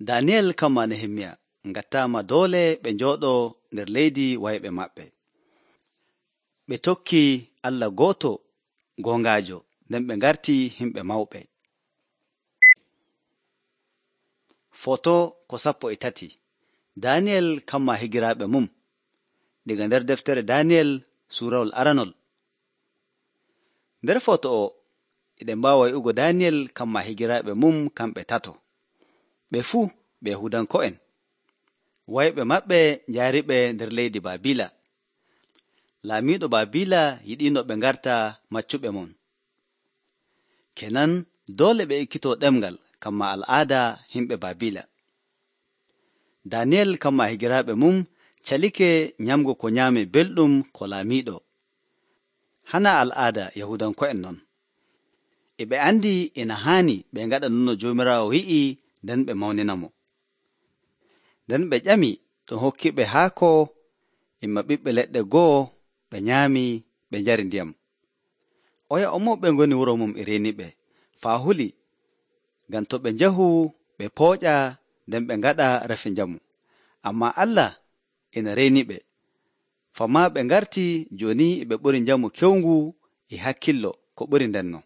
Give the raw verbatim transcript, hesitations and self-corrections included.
Daniyel kamma Nehemiya ngattaama doole ɓe njooɗoo nder leydi wayɓe maɓɓe. Ɓe tokkii Allah gooto goongaajo, nden ɓe ngartii himɓe mawɓe. Foto ko sappo e tati. Daniyel kamma higiraaɓe mum. Diga nder deftere Daniyel suurawol aranol. Nder foto o eɗen mbaawa wi'ugo Daniyel kamma higiraaɓe mum kamɓe tato. Ɓe fuu ɓe Yahuudanko'en. Wayɓe maɓɓe njaariɓe nder leydi Baabila. Laamiiɗo Baabila yiɗiino ɓe ngarta maccuɓe mon. Kenan doole ɓe ekkitoo ɗemngal kamma al'aada himɓe Baabila. Daniyel kamma higiraaɓe mum calike nyamgo ko nyaame belɗum ko laamiiɗo. Hana al'aada Yahuudanko'en non. E ɓe andi ina haani ɓe ngaɗa non no Joomiraawo wi'i, nden ɓe mawnina mo. Nden ɓe ƴami ɗum hokkiɓe haako imma ɓiɓɓe leɗɗe go'o, ɓe nyaami, ɓe njari ndiyam. Oya o ɓe ngoni wuro mum e reeniɓe faa huli, ngam to ɓe njahu ɓe pooƴa nden ɓe ngaɗa rafi njamu. Ammaa Allah ina reeniɓe, famaa ɓe ngarti jooni e ɓe ɓuri njamu kewngu e hakkillo ko ɓuri ndenno.